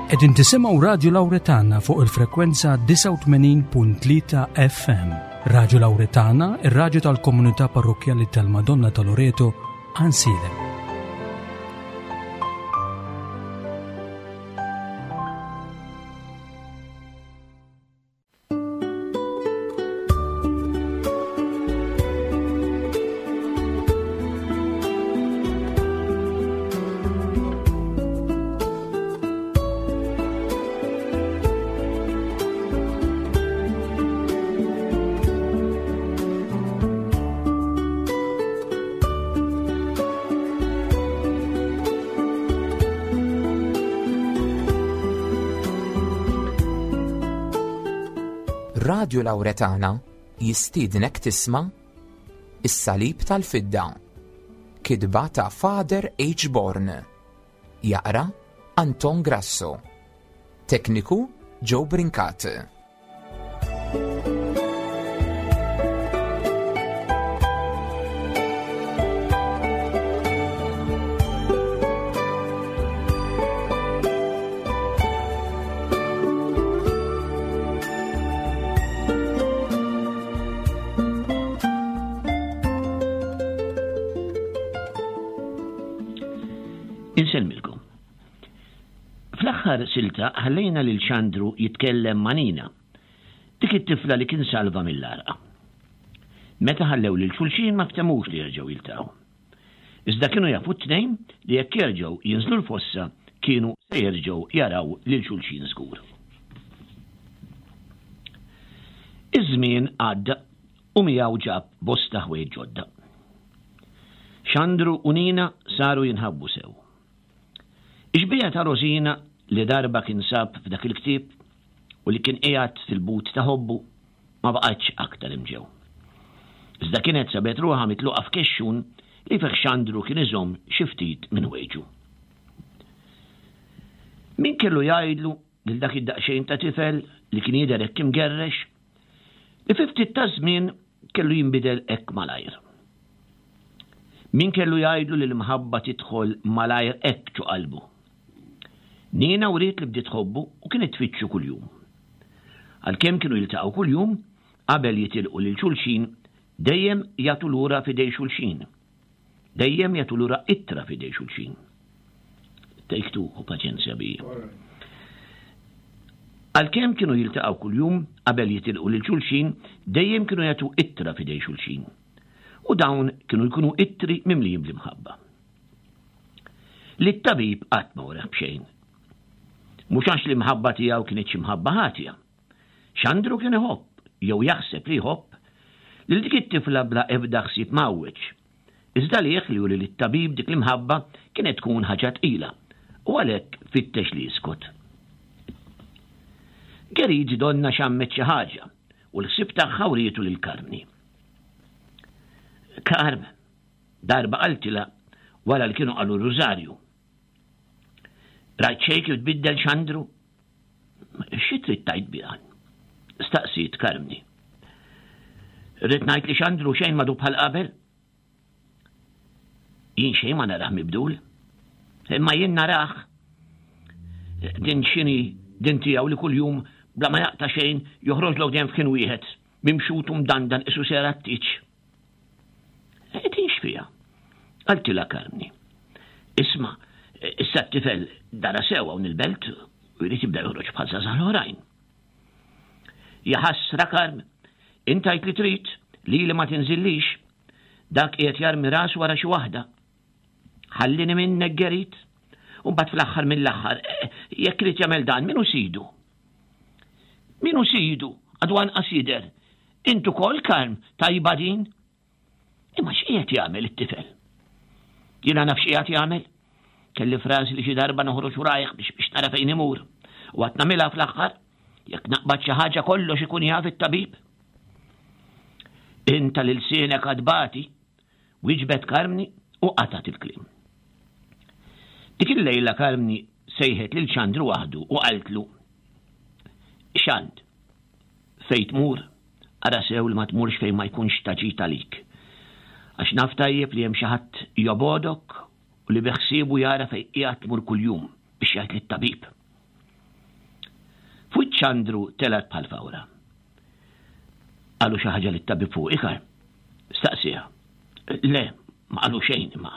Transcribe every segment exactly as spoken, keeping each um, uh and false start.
Qegħdin tisimgħu Radio Lauretana fuq il-frekwenza disgħa u tmenin punt tlieta F M. Radio Lauretana, ir-radju tal-Komunità Parrokkjali tal-Madonna ta' Loreto, Għajnsielem. Radio Lauretana jistiednek tisma' Is-Salib tal-Fidda, kitba ta' Father H. Born, jaqra Anton Grasso, tekniku Joe Brincat. Insellmilkom. Fl-aħħar silta ħallejna lil Xandru jitkellem ma' Nina, dik it-tifla li kien salva mill-għarqa. Meta ħallew lil xulxin ma ftemux li jerġgħu jiltaqgħu. Iżda kienu jafu t-tnejn li jekk jerġgħu jinżlu l-fossa kienu se jerġgħu jaraw lil xulxin żgur. Iż-żmien għadda u miegħu ġab bosta ħwejjeġ ġodda. Xandru u Nina saru jinħabbu sew. Ix-xbieha ta' Rosina li darba kien sab f'dak il-ktieb u li kien qiegħed fil-but ta' ħobbu ma baqgħetx aktar imġew. Iżda kienet sabet ruħha mitluqa f'kexxun li fih Xandru kien iżomm xi ftit minn ħwejġu. Min kellu jgħidlu lil dak id-daqsxejn ta' tifel li kien jidher hekk imgerrex li fi ftit ta' żmien kellu jinbidel hekk malajr. Min kellu jgħidlu li l-imħabba tidħol malajr hekk ġo qalbu. Nina wriet li bdiet tħobbu u kienet tfittxu kuljum. Għalkemm kienu jiltaqgħu kuljum, qabel jitilqu lil xulxin, dejjem jagħtu lura f'idej xulxin. Dejjem jagħtu lura ittra f'idej xulxin. Take two u paċenzja bija. Għalkemm kienu jiltaqgħu kuljum, qabel jitilqu lil xulxin, dejjem kienu jagħtu ittra f'idej xulxin. U dawn kienu jkunu ittri mimlijin bl-imħabba. Li t-tabib qatt ma wreħ b'xejn. Mhux għax l-imħabba tiegħu kienet xi mħabba ħatja. Xandru kien iħobb, jew jaħseb li jħobb, lil dik it-tifla bla ebda ħsieb mgħawweġ. Iżda lieh li juri lit-tabib dik l-imħabba kienet tkun ħaġa tqila, u għalhekk fittex li jiskot. Geridi donna xammet xi ħaġa u l-ħsieb tagħha wrietu lil Karmni. Karm, darba qaltilha wara li kienu qalu r-rużarju. Rajt xejn kif tbiddel Xandru? Xi trid tgħid biha? Staqsiet Karmni. Rrid ngħid li Xandru xejn madu bħal qabel? Jien xejn ma narah mibdul. Imma jien narah. Din x'inhi din tiegħu li kuljum bla ma jaqta' xejn joħroġlok dejjem f'kien wieħed, mimxut u mdandan isu sera t-tieġ. E din x'fiha? Qaltilha Karmni. Isma', issa t-tifel dara sew hawn il-belt u jrid jibda joħroġ bħal żgħażagħ l-oħrajn. Ja ħasra Karm, int għidt li trid, li li ma tinżillix, dak qiegħed jarmi rasu wara xi waħda. Ħallini minnek Gerit, u mbagħad fl-aħħar mill-aħħar, eh, jekk irid jagħmel dan, min hu sidu? Min hu sidu? Għadu anqas jidher. Int ukoll Karm, tajba din? Imma x'qiegħed jagħmel it-tifel? Jiena naf x'qiegħed jagħmel. Kelli frażi li xi darba noħroġ warajh biex, biex nara fejn imur. U għad nagħmilha fl-aħħar, jekk naqbad xi ħaġa kollox ikun jaf it-tabib. Inta lil sienek għadbati, wieġbet Karmni u qatgħet il-kliem. Dik il-lejla Karmni sejħet lil Xandru waħdu u qaltlu: Xand, fejn tmur, ara sew li ma tmurx fejn ma jkunx ta' ġid għalik. Għax naf tajjeb li hemm xi ħadd jobodok u li beħsiebu jara fejn qiegħed tmur kuljum biex jgħid lit-tabib. Xandru telgħet bħal fawra. Qalu xi ħaġa lit-tabib fuq ikar? Staqsieha. Le, ma qalu xejn imma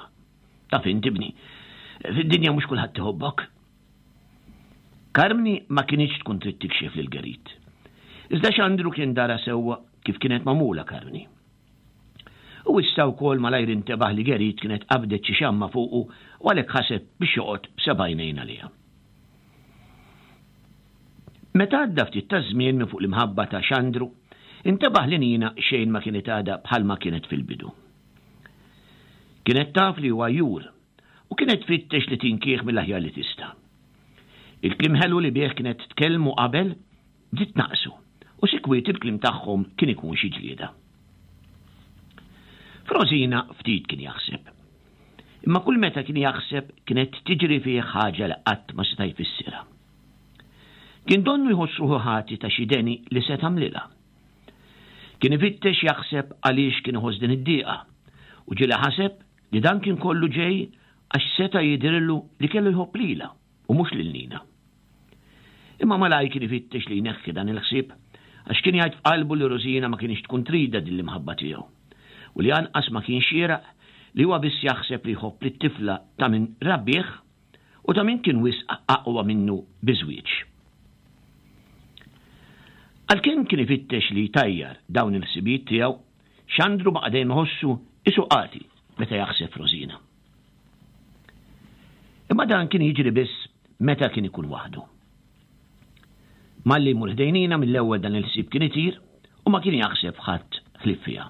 taf int ibni. Fid-dinja mhux kulħadd iħobbok. Karmni ma kinitx tkun trid tikxef lil Gerit. Iżda Xandru kien dara sewwa kif kienet magħmula Karmni. U issa wkoll malajr intebaħ li Gerit kienet qabdet xi xamma fuqu u għalhekk ħaseb biex joqgħod b'seba' għajnejn għaliha. Meta għadda ftit ta' żmien minn fuq l-imħabba ta' Xandru, intebaħ li Nina xejn ma kienet għadha bħalma kienet fil-bidu. Kienet taf li huwa jur u kienet tfittex li tinkih mill-aħjar li tista'. Il-kliem ħelu li bih kienet tkellmu qabel bdiet naqsu u sikwit il-kliem tagħhom kien ikun xi ġlieda. Frosina ftit kien jaħseb. Imma kull meta kien jaħseb kienet tiġri fih ħaġa li qatt ma seta' jfissirha. Kien donnu jħoss ruħu ħati ta' xi deni li se tagħmlilha. Kien ifittex jaħseb għaliex kien iħoss din id-dieqa u ġieli ħaseb li dan kien kollu ġej għax seta' jidhirlu li kellu jħobb lilha u mhux lil Nina. Imma malaj kien ifittex li jneħħi dan il-ħsieb għax kien jgħid f'qalbu li Rosina ma kienx tkun trida din l-imħabba tiegħu u li anqas ma kien xieraq li huwa biss jaħseb li jħobb lit-tifla ta' min rabbih u ta' min kien wisq aqwa minnu biżwieġ. Għalkemm kien ifittex li jtajjar dawn il-ħsibijiet tiegħu, Xandru baqa' dejjem iħossu isu qati meta jaħseb Rosina. Imma dan kien jiġri biss meta kien ikun waħdu. Malli jmur ħdejn Nina mill-ewwel dan il-ħsieb kien itir u ma kien jaħseb ħadd ħlief fiha.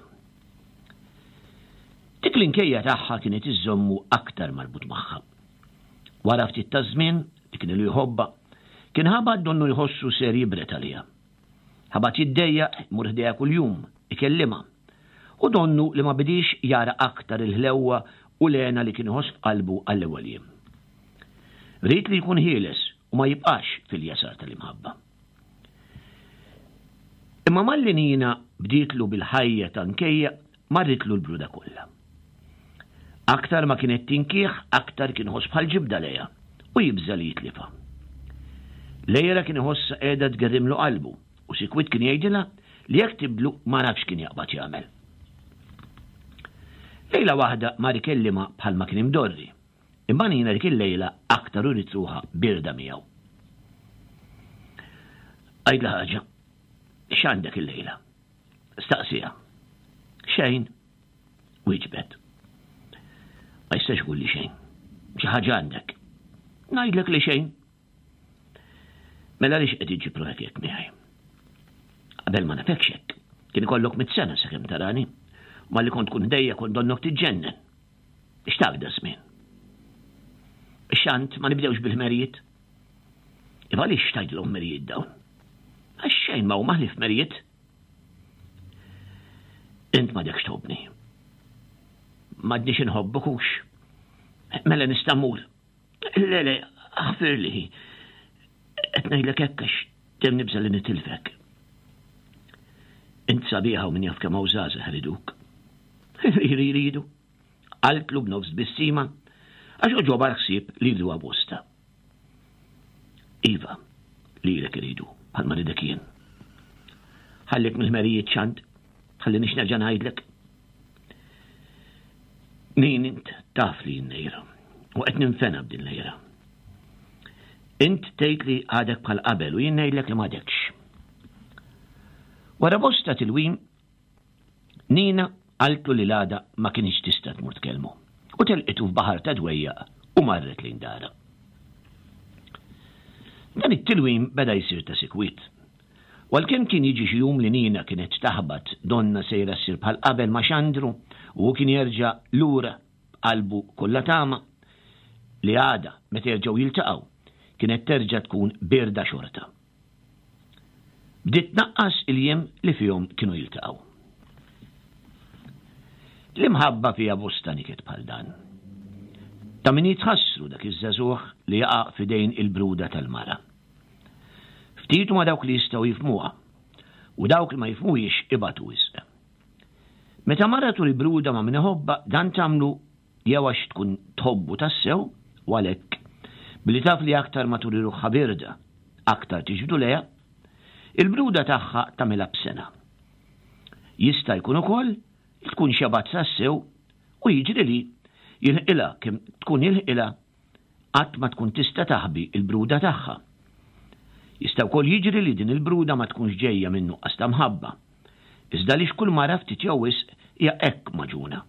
Dik l-inkejja tagħha kienet iżżommu aktar marbut magħha. Wara ftit ta' żmien li kien ilu jħobbha, kien ħabat donnu jħossu ser jibret għaliha. Ħabat jiddejjaq imur ħdejha kuljum, ikellimha. U donnu li ma bidix jara aktar il-ħlewwa u l-hena li kien iħoss f'qalbu għall-ewwel jiem. Ried li jkun ħieles u ma jibqax fil-jasar tal-imħabba. Imma malli Nina bdietlu bil-ħajja ta' nkejja, marritlu l-bruda kollha. Aktar ma kienet tinkih, aktar kien iħoss bħal ġibda lejha u jibża' li jitlifha. Lejla kien iħossha qiegħda tgerrimlu qalbu u sikwit kien jgħidilha li jekk tibdlu ma nafx kien jaqbad jagħmel. Lejla waħda mar ikellimha bħalma kien imdorri, imma Nina dik il-lejla aktar uriet ruħha birda miegħu. Għidla ħaġa, x'għandek il-lejla? Staqsiha. Xejn, wieġbet. Ma jistax ikun li xejn. Xi ħaġa għandek. Ngħidlek li xejn. Mela għaliex qed iġġib ruħek hekk miegħi? Qabel ma nafekx hekk. Kien ikollok mitt sena sakemm tarani. U malli kont tkun ħdejja kont donnok tiġġennen. X'taf da żmien? Xant ma nibdewx bil-ħmerijiet. Iva għaliex tgħidilhom ħmerijiet dawn? Għax xejn ma huma ħlief ħmerijiet. Int m'għadekx tħobbni. M'għadniex inħobbok hux. Mela nista' mmur. Le, le, aħfirli. Qed ngħidlek hekk għax dejjem nibża' li nitilfek. Int sabiħa u min jaf kemm hawn żgħażagħ iriduk. Jridu. Qaltlu b'nofs tbissima għax għoġobha l-ħsieb li jriduha bosta. Iva, lilek iridu, bħalma ridek jien. Ħallik mill-ħmerijiet Xand, ħallinix nerġa' ngħidlek. Min int taf li jien nejra, u qed ninfena b'din lejra. Int tgħid li għadek bħal qabel u jien ngħidlek li m'għadekx. Wara bosta tilwim, Nina qaltlu li l-għada ma kienx tista' tmur tkellmu u telqitu f'baħar ta' dwejjaq u marret lejn dara. Dan it-tilwim beda jsir ta' sikwit. U għalkemm kien jiġi xi jum li Nina kienet taħbat donna sejra ssir bħal qabel ma' Xandru u hu kien jerġa' lura b'qalbu kollha tama li għada meta jerġgħu jiltaqgħu kienet terġa' tkun bierda xorta. Bdiet tnaqqas il-jiem li fihom kienu jiltaqgħu. L-imħabba fiha bosta niket bħal dan. Ta' min jitħassru dak iż-żagħżugħ li jaqa' f'idejn il-bruda tal-mara. Ftit huma dawk li jistgħu jifhmuha u dawk li ma jifhmuhiex ibatu wisq. Meta mara turi bruda ma' min iħobbha, dan tagħmlu jew għax tkun tħobbu tassew u għalhekk billi taf li aktar ma turi ruħha birda, aktar tiġbdu lejha, Il-bruda tagħha tagħmilha b'sena. Jista' jkun ukoll li tkun xebgħet tassew u jiġri li jilħqilha kemm tkun jilħqilha qatt ma tkun tista' taħbi il-bruda tagħha. Jista' wkoll jiġri li din il-bruda ma tkunx ġejja minn nuqqas ta' mħabba. Iżda li kull mara ftit jew wisq hija hekk magħġuna.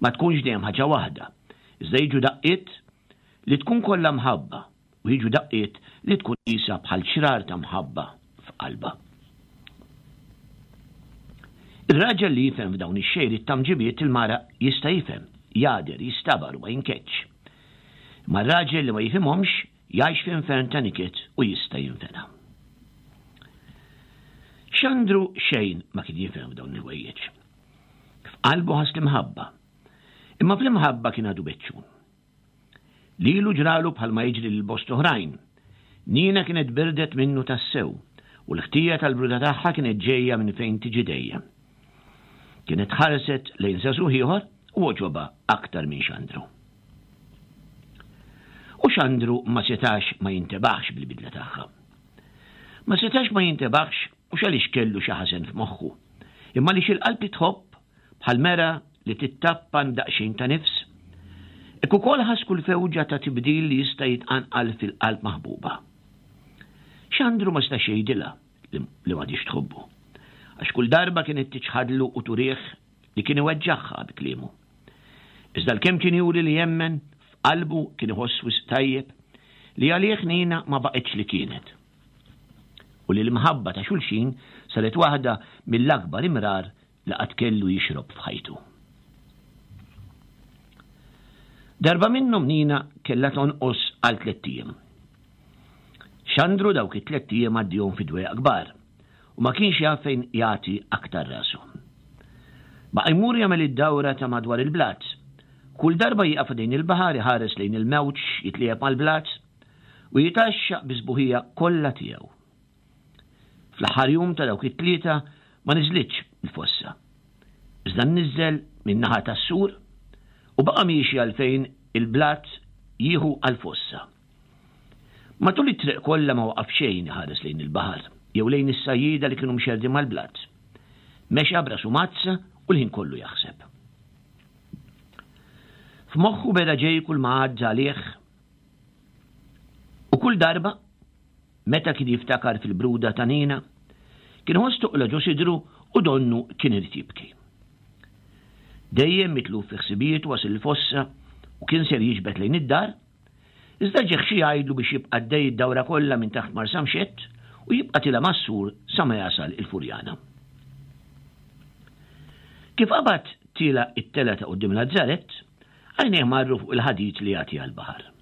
Ma tkunx dejjem ħaġa waħda, iżda jiġu daqqiet li tkun kollha mħabba u jiġu daqqiet li tkun qisha bħal ċrar ta' mħabba f'qalba. Ir-raġel li jifhem f'dawn ix-xejriet ta' mġibiet il-mara jista' jifhem, jagħder, jistabar u ma jinkeċ. Ma r-raġel li ma jifhimhomx jgħix f'infern ta' niket u jista' jinfena. Xandru xejn ma kien jifhem f'dawn il-ħwejjeġ. F'qalbu ħass l-imħabba. Imma fl-imħabba kien għadu beċċun. Lilu ġralu bħalma jiġri lil bosta oħrajn. Nina kienet birdet minnu tassew u l-ħtija tal-bruda tagħha kienet ġejja minn fejn tiġi dejjem. Kienet ħarset lejn żagħżugħ ieħor u għoġobha aktar minn Xandru. U Xandru ma setax ma jintebaħx bil-bidla tagħha. Ma setax ma jintebaħx mhux għaliex kellu xi ħażen f'moħħu, imma għaliex il-qalb tħobb bħal mera li tittappan daqsxejn ta' nifs. Hekk ukoll ħass kull fewġa ta' tibdil li jista' jitqanqal fil-qalb maħbuba. Xandru ma setax jgħidilha li m'għadix tħobbu, għax kull darba kienet tiċħadlu u turih li kien iweġġagħha bi kliemu. Iżda l-kemm kien juri li jemmen, f'qalbu kien iħoss wisq tajjeb li għalih Nina ma baqgħetx li kienet. U li l-imħabba ta' xulxin saret waħda mill-akbar imrar li qatt kellu jixrob f'ħajtu. Darba minnhom Nina kellha tonqos għal tlett ijiem. Xandru dawk it-tlett ijiem għaddihom fi dwejaq kbar u ma kienx jaf fejn jagħti aktar rasu. Baqa' jmur jagħmel id-dawra ta' madwar il-blat. Kull darba jieqaf ħdejn il-baħar iħares lejn il-mewġ jitlieb mal-blat u jitaxxaq bi sbuħija kollha tiegħu. Fl-aħħar jum ta' dawk it-tlieta ma niżlitx il-fossa. Iżda nniżżel min-naħa tas-sur u baqa' miexi għalfejn il-blat jieħu għal-fossa. Matul it-triq kollha ma waqaf xejn iħares lejn il-baħar jew lejn is-sajjieda li kienu mxerdin mal-blat. Mexa b'rasu mazza u l-ħin kollu jaħseb. F'moħħu beda ġej kull ma għadda għalih u kull darba meta kien jiftakar fil-bruda ta' Nina, kien ħoss toqla ġo sidru u donnu kien irid jibki. Dejjem mitluf fi ħsibijiet wasal il-fossa u kien ser jiġbed lejn id-dar, iżda ġieħ xi jgħidlu biex jibqa' għaddej id-dawra kollha minn taħt Marsamxett u jibqa' tila mas-sur sa ma jasal il-Furjana. Kif qabad tila it-tela ta' quddiem Lazzarett, għajnejh marru fuq il-ħadid li jagħti għall-baħar.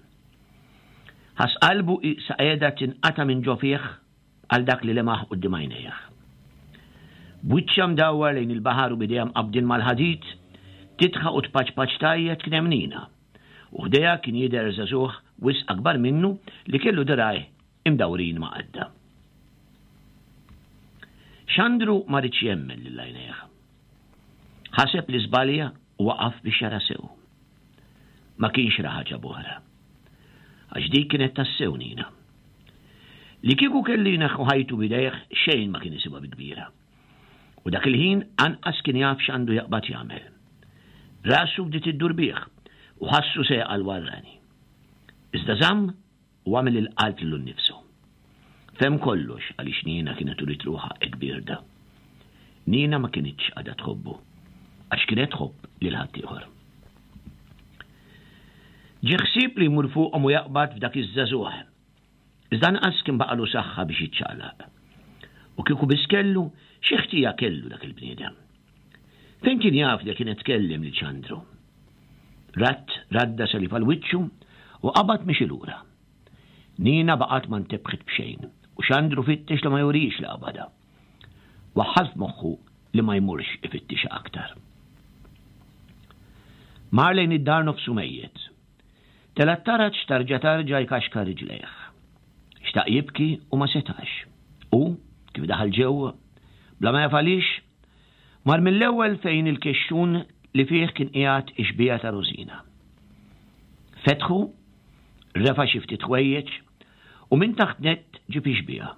Ħass qalbu sa qiegħda tinqata' minn ġo fih għal dak li lemaħ quddiem għajnejh. B'wiċċha mdawwar lejn il-baħar u b'idejha mqabbdin mal-ħadid, titħaq u tpaċpaċ tajjeb kien hemm Nina. U ħdejha kien jidher żagħżugħ wisq akbar minnu li kellu dirgħajh imdawrin ma' qadda. Xandru ma ridx jemmen lil għajnejh. Ħaseb li żbalja u waqaf biex jara sew. Ma kienx ra ħaġa b'oħra. Għax dik kienet tassew Nina. Li kieku kellu jneħħu ħajtu b'idejh xejn ma kien isibha bi kbira. U dak il-ħin anqas kien jaf x'għandu jaqbad jagħmel. Rasu bdiet iddur bih u ħassu se jaqa' l-warrani. Iżda żamm u għamel il-qalb lilu nnifsu. Fhem kollox għaliex Nina kienet urid ruħha hekk bierda. Nina ma kinitx għadha tħobbu, għax kienet tħobb lil ħaddieħor. Ġie ħsieb li jmur fuqhom u jaqbad f'dak iż-żagħżugħ. Iżda anqas kien baqalu saħħa biex jiċċaqlaq. U kieku biss kellu, xi ħtija kellu dak il-bniedem. Fejn kien jaf li kienet tkellem lil Xandru? Ratt radda salib għal wiċċu u qabad mixi lura. Nina baqgħet ma ntebħet b'xejn u Xandru fittex li ma jurix li qabadha. Waħħal f'moħħu li ma jmurx ifittixha aktar. Mar lejn id-dar nofsu mejjet. Tela' t-taraġ tarġa' tarġa' jkaxkar riġlejh. Xtaq jibki u ma setax. U, kif daħal ġewwa, bla ma jaf għaliex, mar mill-ewwel fejn il-kexxun li fih kien qiegħed ix-xbieha ta' Rosina. Fetħu, refa' xi ftit ħwejjeġ u minn taħt nett ġib ix-xbieha.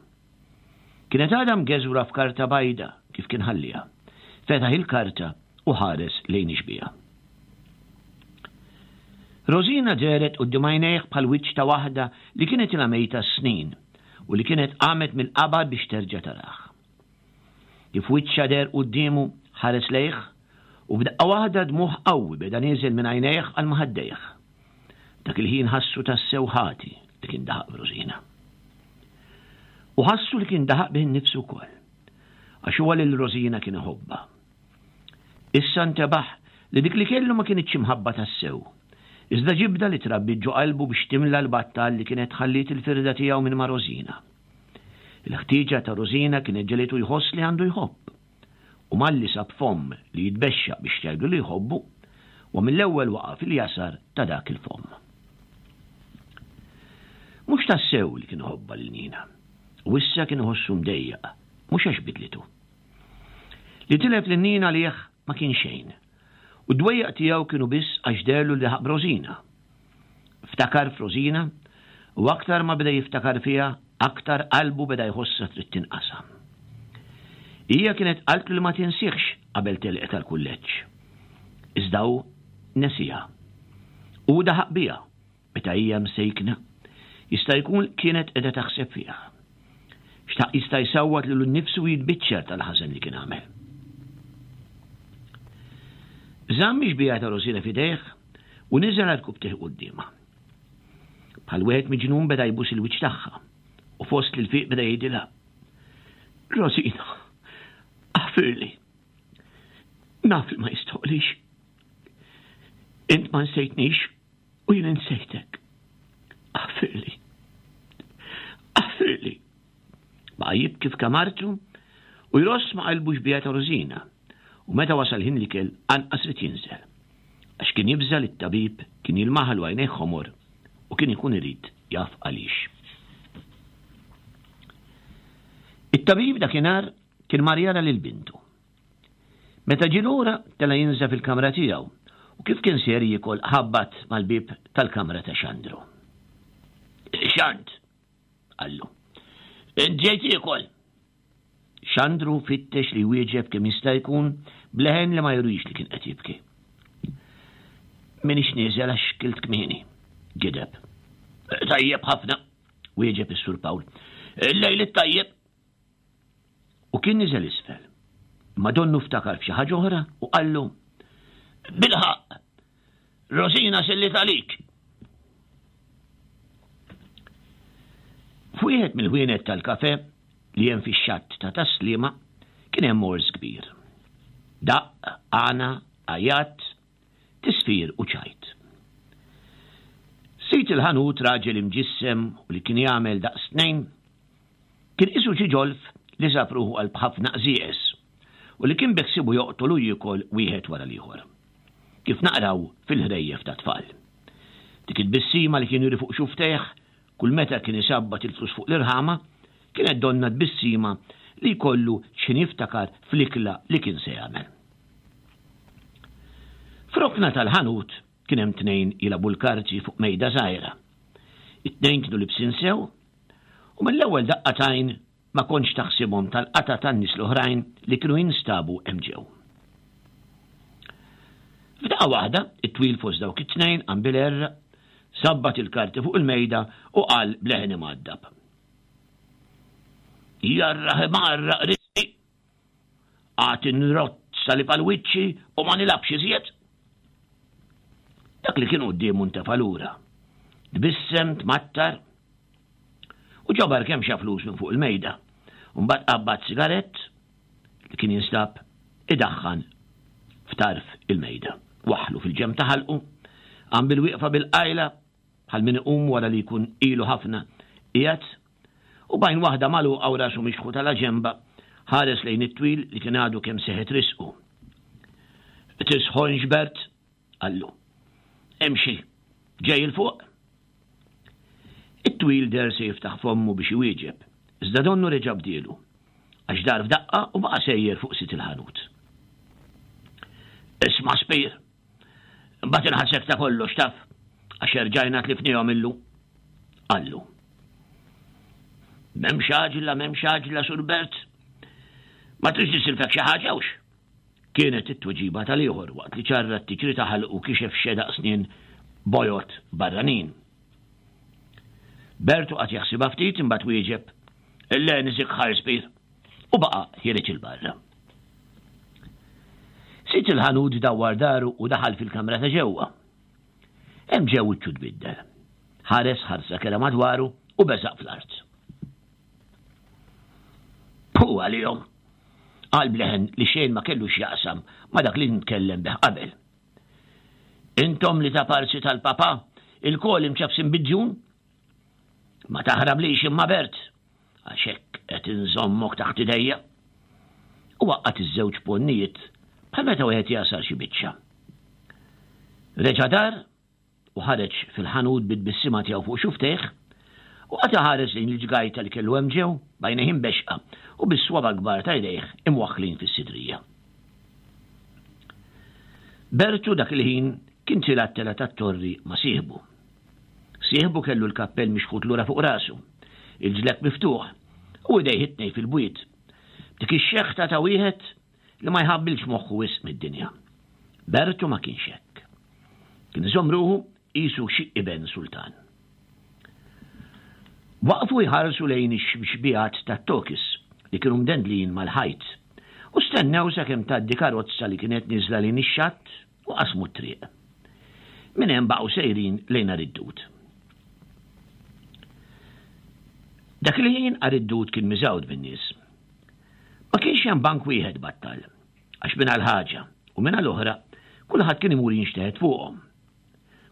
Kienet għadha mgeżwra f'karta bajda kif kien ħalliha. Fetaħ il-karta u ħares lejn ix-xbieha. Rosina dehret quddiem għajnejh bħal wiċċ ta' waħda li kienet ilha mejta snin u li kienet qamet mill-qabar biex terġa' tarah. Kif wiċċha deher quddiemu ħares lejh u f'daqqa waħda dmugħ qawwi beda nieżel minn għajnejh għal ma' ħaddejh. Dak il-ħin ħassu tassew ħati li kien daħaq b'Rosina. U ħassu li kien daħaq bih innifsu wkoll, għax huwa lil Rosina kien iħobbha. Issa ntebaħ li dik li kellu ma kinitx imħabba tassew, iżda ġibda li trabbiet ġo qalbu biex timla l-battal li kienet ħalliet il-firda tiegħu minn ma' Rosina. Il-ħtieġa ta' Rosina kienet ġegħlitu jħoss li għandu jħobb. U malli sab fomm li jitbexxaq biex jgħidlu li jħobbu, u mill-ewwel waqa' fil-jasar ta' dak il-fomm. Mhux tassew li kien iħobbha lil Nina, u issa kien iħossu mdejjaq, mhux għax bidlitu. Li tilef lil Nina għalih ma kien xejn, u d-dwejjaq tiegħu kienu biss għax deherlu li daħaq b'Rosina. Ftakar f'Rosina, u aktar ma beda jiftakar fiha, aktar qalbu beda jħossha trid tinqasam. Hija kienet qaltlu li ma tinsihx qabel telqet għall-kulleġġ. Iżda hu nesiha. U daħaq biha meta hija msejkna. Jista' jkun kienet qiegħda taħseb fiha. Xtaq jista' jsawwat lilu nnifsu u jitbiċċer tal-ħażen li kien għamel. Żamm ix-xbieha ta' Rosina f'idejh u niżel għal rkubbtejh quddiemha. Bħal wieħed miġnun beda jbus il-wiċċ tagħha u fost l-ilfiq beda jgħidilha: Rosina, aħfirli. Naf li ma jistħoqlix. Int ma nsejtnix u jien insejtek. Aħfirli. Aħfirli. Baqa' jibki f'kamartu u jross ma' qalbu xbieha ta' Rosina. U meta wasal ħin l-ikel anqas ried jinżel. Għax kien jibża' li t-tabib kien jilmaħlu għajnejh ħomor u kien ikun irid jaf għaliex. It-tabib dakinhar kien mar jara lil bintu. Meta ġie lura tela' jinża' fil-kamra tiegħu u kif kien ser jiekol ħabbat mal-bieb tal-kamra ta' Xandru. Xand, qallu, int ġejt jiekol. Xandru fittex li wieġeb kemm jista' jkun bleħen li ma jurix li kien qed jibki. Minix nieżel għax kilt kmieni, gideb. Tajjeb ħafna, wieġeb is-Sur Pawl. Il-lejl it-tajjeb. U kien niżel isfel. Imma donnu ftakar f'xi ħaġa oħra u qallu: Bilħaq, Rosina sellit għalik. F'wieħed mill-ħwienet tal-kafe li hemm fix-xatt ta' Taslima kien hemm mors kbir. Daqq, għana, għajat, tisfir u ċajt. Sid il-ħanut raġel imġissem u li kien jagħmel daqs tnejn, kien qisu xi ġolf li sab ruħu qalb ħafna qżieqes u li kien beħsiebu joqtol u jiekol wieħed wara l-ieħor. Kif naqraw fil-ħrejjef ta' tfal. Dik it-tbissima li kien juri fuq xuftejh kull meta kien isabbat il-flus fuq l-irħama kienet donna tbissima li jkollu x'ħin jiftakar fl-ikla li kien se jagħmel. F'rokna tal-ħanut kien hemm tnejn jilagħbu l-karti fuq mejda żgħira. It-tnejn kienu libsin sew u mill-ewwel daqqa t'għajn ma kontx taħsibhom tal-qata tan-nies l-oħrajn li kienu jinstabu hemm ġew. F'daqqa waħda, it-twil fost dawk it-tnejn qam bil-għerra, sabbat il-karti fuq il-mejda u qal bleħen imgħaddab. Jarraħ imarraq risqi, għad inrott salib għal wiċċi u ma nilgħabx iżjed. Dak li kien quddiemu ntefa' lura. Tbissem, tmattar u ġabar kemm xa flus minn fuq il-mejda. U mbagħad qabad sigarett li kien jinstab idaħħan f'tarf il-mejda. Waħlu fil-ġenb ta' ħalqu, qam bil-wieqfa bil-qajla bħal min iqum wara li jkun ilu ħafna qiegħed, u bajn waħda magħluqa u rasu mixħu tal-ġemba ħares lejn it-twil li kien għadu kemm seħet risqu. Tisħonx Bert, qallu. Imxi, ġej il fuq. It-twil der se jiftaħ fommu biex iwieġeb, iżda donnu reġa' bdielu, għax dar f'daqqa u baqa' sejjer fuq sit il-ħanut. Isma' Spir, mbagħad inħasek ta' kollox taf, għax erġajna tlifnihom illum, qallu. M'hemmx għaġla, m'hemmx għaġla, Sur Bert. Ma tridx nisilfek xi ħaġa hux? Kienet it-tweġiba tal-ieħor waqt li ċarrat tiġri ta' ħalqu kixef xedaq snin bojod barranin. Bertu qagħad jaħsibha ftit, imbagħad wieġeb: "Le, niżik ħarspir", u baqa' ħiereġ 'il barra. Sid il-ħanut dawwar daru u daħal fil-kamra ta' ġewwa. Hemm ġew wiċċu tbiddel. Ħares ħarsa kerha madwaru u beżaq fl-art. "Pu għalihom," qal b'leħen li xejn ma kellu x'jaqsam ma dak li nitkellem bih qabel. "Intom li ta' parsi tal-papa, ilkoll imċafsin bid-djun? Ma taħrablix imma, Bert, għax hekk qed inżommok taħt idejja." U waqqat iż-żewġ ponnijiet bħal meta wieħed jasar xi biċċa. Reġa' dar u ħareġ fil-ħanut bit-tbissima tiegħu fuq xufftejh u qagħad iħares lejn il-ġgajta li kellu hemm ġew b'għajnejh imbexqa u bis-swaba kbar ta' jdejh imwaħħlin fis-sidrija. Bertu dak il-ħin kien tila t-tela tat-torri ma' sieħbu. Sieħbu kellu l-kappell mixħut lura fuq rasu, il-ġlekk miftuħ u idejh it-tnejn fil-bwiet. Dik ix-xeħta ta' wieħed li ma jħabbilx moħħu wisq mid-dinja. Bertu ma kienx hekk. Kien iżomm ruħu qisu xi iben sultan. Waqfu jħarsu lejn ix-xbihat tat-tokis li kienu mdendlin mal-ħajt u stennew sakemm tgħaddi karozza li kienet niżla lejn ix-xatt u qasmu t-triq. Minn hemm baqgħu sejrin lejn Għar id-Dud. Dak il-ħin Għar id-Dud kien miżgħud bin-nies. Ma kienx hemm bank wieħed battal, għax minn għal ħaġa u minn għal oħra kulħadd kien imur jinxteħet fuqhom.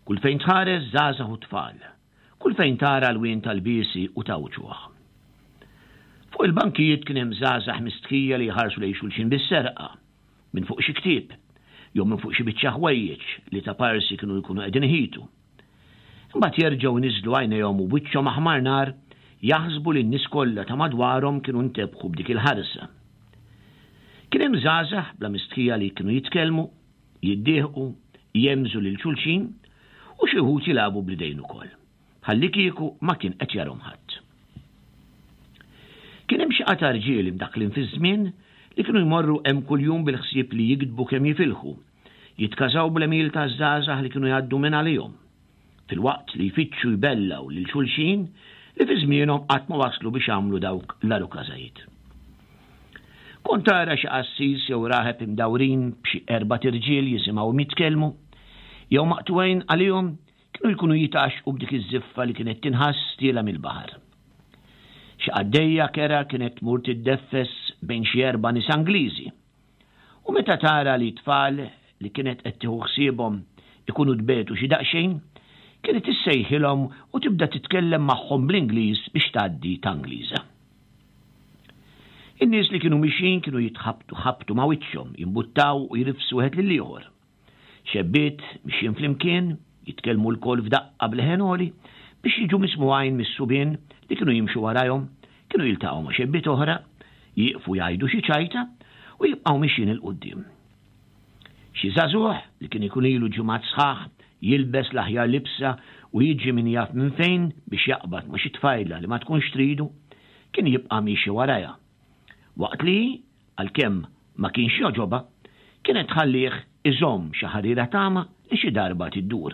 Kull fejn tħares żgħażagħ u tfal, kull fejn tara l-wien tal-biesi u ta' wċuħ. Fuq il-bankijiet kien hemm żgħażagħ mistħija li jħarsu lejn xulxin bis-serqa, minn fuq xi ktieb, jew minn fuq xi biċċa ħwejjeġ li ta' parsi kienu jkunu qegħdin iħitu. Imbagħad jerġgħu niżlu għajnejhom u wiċċhom aħmar nar jaħsbu li n-nies kollha ta' madwarhom kienu ntebħu b'dik il-ħarsa. Kien hemm żgħażagħ bla mistħija li kienu jitkellmu, jiddieħqu, jemżu lil xulxin u xi wħud jilagħbu bl-idejn ukoll, ħalli kieku ma kien qed jarhom ħadd. Kien hemm xi qata' rġiel imdaħħlin fiż-żmien li kienu jmorru hemm kuljum bil-ħsieb li jikdbu kemm jifilħu, jitkażaw bl-għemil taż-żgħażagħ li kienu jgħaddu minn għalihom, filwaqt li jfittxu jbellaw lil xulxin li fi żmienhom qatt ma waslu biex għamlu dawk l-arukażajiet. Kont tara xi qassis jew raħeb imdawrin b'xi erbat irġiel jisimgħu jitkellmu, jew maqtugħin għalihom kienu jkunu jitgħaxxqu b'dik iż-żiffa li kienet tinħass tiela mill-baħar. Xi qaddejja kera kienet tmur tiddeffes bejn xi erba' nies Angliżi. U meta tara li tfal li kienet qed tieħu ħsiebhom ikunu tbetu xi daqsxejn, kienet issejħilhom u tibda titkellem magħhom bl-Ingliż biex tgħaddi ta' Ingliża. In-nies li kienu mixin kienu jitħabtu ħabtu ma' wiċċhom, jimbuttaw u jrifsu wieħed lil ieħor. Xebbiet mixjin flimkien, jitkellmu lkoll f'daqqa b'leħen għoli biex jiġu mismugħin mis-subien li kienu jimxu warajhom, kienu jiltaqgħu ma' xebbiet oħra, jieqfu jgħidu xi ċajta u jibqgħu mixjin 'il quddiem. Xi żagħżugħ li kien ikun ilu ġimgħat sħaħ jilbes l-aħjar libsa u jiġi min jaf minn fejn biex jaqbad ma' xi tfajla li ma tkunx tridu, kien jibqa' miexi warajha. Waqt li, għalkemm ma kienx jogħġobha, kienet tħallih iżomm xi ħarira tama li xi darba tiddur,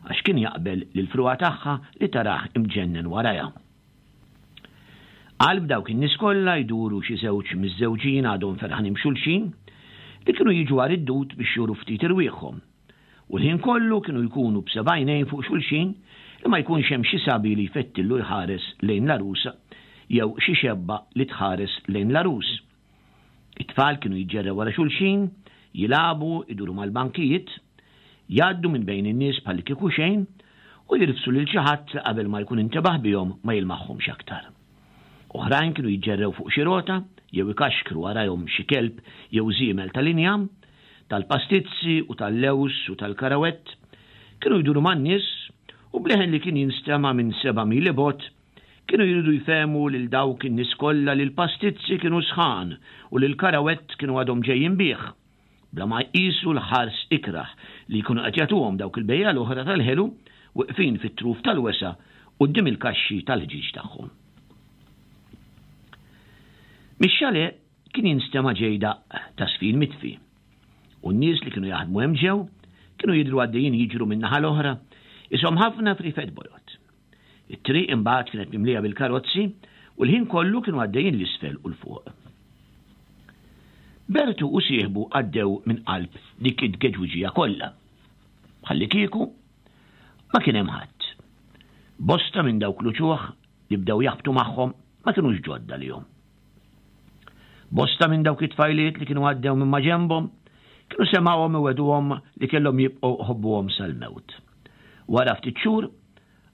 għax kien jaqbel lil fruha tagħha li tarah imġennen warajha. Qalb dawk in-nies kollha jduru xi żewġ miż-żewġin għadhom ferħanin b'xulxin li kienu jiġu Għar id-Dud biex juru ftit irwieħhom, u l-ħin kollu kienu jkunu b'seba' għajnejn fuq xulxin li ma jkunx hemm xi sabi li jfettillu jħares lejn l-għarusa jew xi xebba li tħares lejn l-għarus. It-tfal kienu jiġġerrew wara xulxin, jilagħbu, iduru mal-bankijiet, jgħaddu minn bejn in-nies bħalli kieku xejn u jirfsu lil xi ħadd li qabel ma jkun intebaħ bihom ma jilmaħħomx aktar. Oħrajn kienu jiġġerrew fuq xi rota jew ikaxkru warajhom xi kelb jew żiemel tal-injam, tal-pastizzi u tal-lewż u tal-karawett, kienu jduru man-nies u b'leħen li kien jinstema' minn seba' mili bogħod kienu jridu jfehmu lil dawk in-nies kollha li l-pastizzi kienu sħan u li l-karawett kienu għadhom ġejjin bih, bla ma jqisu l-ħars ikrah li jkunu qed jagħtuhom dawk il-bejja l-oħra tal-ħelu wiqfin fit-truf tal-wesa' quddiem il-kaxxi tal-ħġieġ tagħhom. Mix-chalet kien jinstema' ġej daqq ta' żfin mitfi. U n-nies li kienu jaħdmu hemm ġew kienu jidhru għaddejjin jiġru min-naħa l-oħra, ishom ħafna friefet bojod. It-triq imbagħad kienet mimlija bil-karozzi u l-ħin kollu kienu għaddejjin 'l isfel u 'l fuq. Bertu u sieħbu għaddew minn qalb dik it-tgeġwiġija kollha. Bħallikieku ma kien hemm ħadd. Bosta minn dawk l-uċuħ li bdew jaħbtu magħhom ma kinux ġodda lihom. Bosta minn dawk it-tfajliet li kienu għaddew minn maġenbhom kienu semgħuhom iwegħduhom li kellhom jibqgħu jħobbuhom sal-mewt. Wara ftit xhur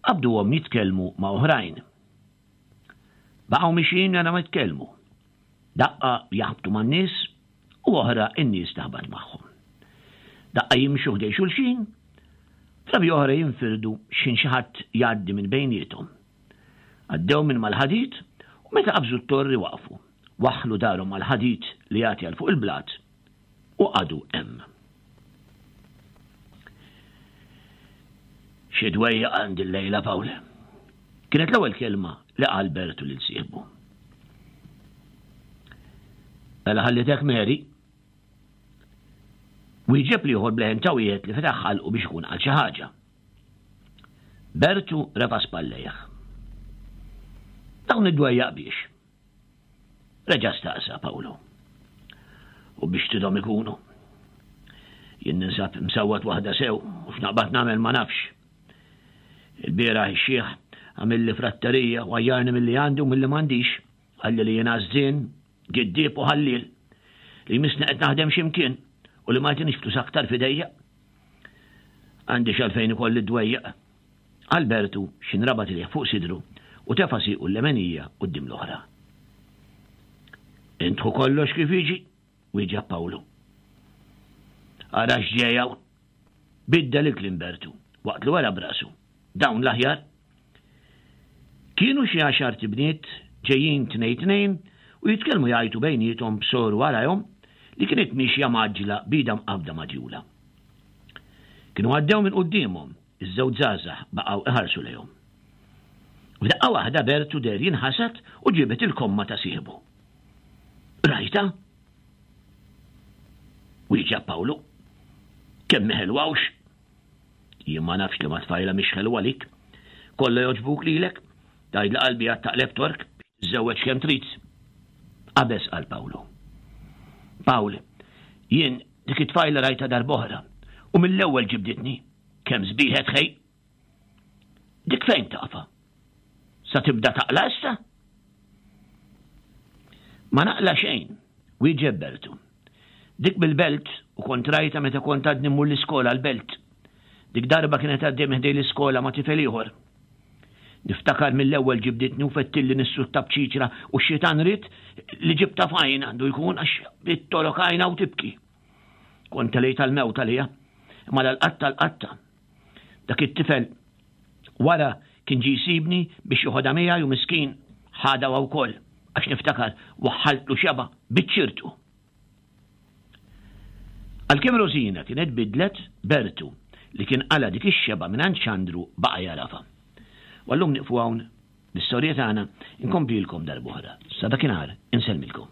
qabduhom jitkellmu ma' oħrajn. Baqgħu mixjin mingħajr ma jitkellmu. Daqqa jaħbtu man-nies u oħra n-nies taħbat magħhom. Daqqa jimxu ħdejn xulxin, drabi oħra jinfirdu x'ħin xi ħadd jgħaddi minn bejniethom. Għaddew minn mal-ħadid u meta qabżu t-torri waqfu. Waħħlu darhom mal-ħadid li jagħti għal fuq il-blat u qagħdu hemm. Xi dwejjaq għandi llejla, Pawl. Kienet l-ewwel kelma li qal Bertu lil sieħbu. Mela ħallitek Mary? Wieġeb l-ieħor b'leħen ta' wieħed li fetaħ ħalqu biex ikun qal xi ħaġa. Bertu refa' spallejh. Dawn id-dwejjaq biex? Reġa' staqsa Pawlu. U biex tidhom ikunu. Jien ninsab msawwat waħda sew u x'naqbad nagħmel ma nafx. Il-bieraħ ix-xiħ għamilli fratterija u għajjarni milli għandi u milli m'għandix. Qalli li jien għażżien, giddieb u ħalliel. Li jmissni qed naħdem x'imkien u li ma jtinix flus aktar f'idejja. Għandi x'għalfejn ikolli d-dwejjaq. Albertu x'inrabat idejh fuq sidru u tefa' siequ l-lemenija quddiem l-oħra. Int ħu kollox kif jiġi, wieġeb Pawlu. Ara x'ġej hawn. Biddel il-kliem Bertu waqt li wera b'rasu. Dawn l-aħjar. Kienu xi għaxart ibniet ġejjin tnejn tnejn u jitkellmu jgħajtu bejniethom b'soru warajhom li kienet miexja mgħaġġla b'idha mqabbda ma' djulha. Kienu għaddew minn quddiemhom, iż-żewġ żgħażagħ baqgħu iħarsu lejhom. F'daqqa waħda Bertu deher jinħasad u ġibed il-komma ta' sieħbu. Rajta? Wieġeb Pawlu. Kemm hi ħelwa hux? Jien ma nafx li ma tfajla mhix ħelwa għalik. Kollha jogħġbuk lilek. Tgħid li qalbi għad taqleb tork biex tiżżewweġ kemm trid. Qabeż qal Pawlu. Pawl, jien dik it-tfajla rajtha darb'oħra u mill-ewwel ġibditni. Kemm sbieħet ħej. Dik fejn tafha? Sa tibda taqla' issa? Ma naqla' xejn, wieġeb Bertu. Dik mill-belt u kont rajtha meta kont għadni mmur l-iskola l-belt. Dik darba kienet għaddej minn ħdej l-iskola ma' tifel ieħor. Niftakar mill-ewwel ġibditni u fettilli nissu t-tabċiċra u x-xitan ried li ġibtha f'għajn għandu jkun għax bdiet togħrok għajnha u tibki. Kont telejt għall-mewt għaliha, imma l-qatta l-qatta. Dak it-tifel wara kien ġie jsibni biex joħodha miegħi u miskin ħadha wkoll għax niftakar waħħaltlu xebgħa biċ-ċirtu. Għalkemm Rosina kienet bidlet, Bertu, li kien qala' dik ix-xebgħa mingħand Xandru baqa' jagħrafha. U għallum nieqfu hawn l-istorja tagħna inkomplilkom darb'oħra. Sa dakinhar insellmilkom.